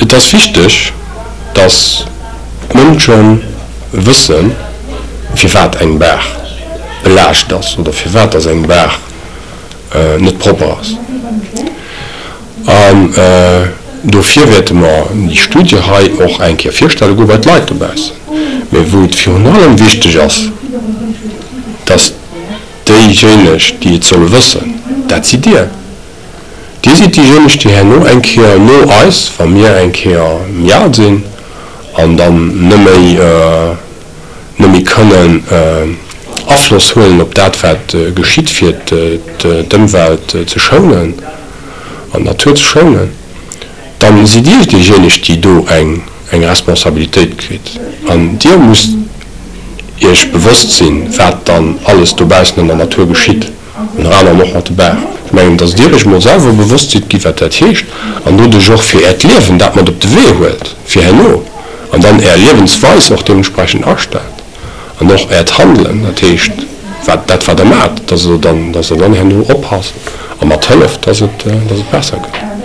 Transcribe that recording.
Et ass wichteg, dass d'Mënsche wëssen, firwat eng Baach belaascht ass oder firwat dass eng Baach net propper ass. An dofir wäerte mer déi Studie hei och eng Kéier virstelle goe bei d'Leit dobaussen. Mä wou et virun allem wichteg ass, dass déijéineg, déi et solle wëssen, dat sidd Dir. Dir sidd déijéineg, déi herno eng Kéier no eis, wa mir eng Kéier méi al sinn an dann net méi, net méi kënnen Afloss huelen op dat, wat geschitt, fir d'Ëmwelt ze schounen an d'Natur ze schounen, da sidd Dir déijéineg, déi do eng Responsabilitéit kritt. An Dir musst Iech bewosst sinn, wat dann alles dobaussen an der Natur geschitt. Ënner anerem och mat de Baachen. Ech mengen, dass Dir Iech emol selwer bewosst sidd gi wat dat heescht an doduerch och fir Äert Liewen dat mat op de Wee huelt fir herno an dann Är Liewensweis och deementsprechend astellt an och Äert Handelen, dat heescht wat dat wat Der maacht, dass Der dann, dass Der dann herno oppasst a mat hëlleft, dass et, dass et besser gëtt.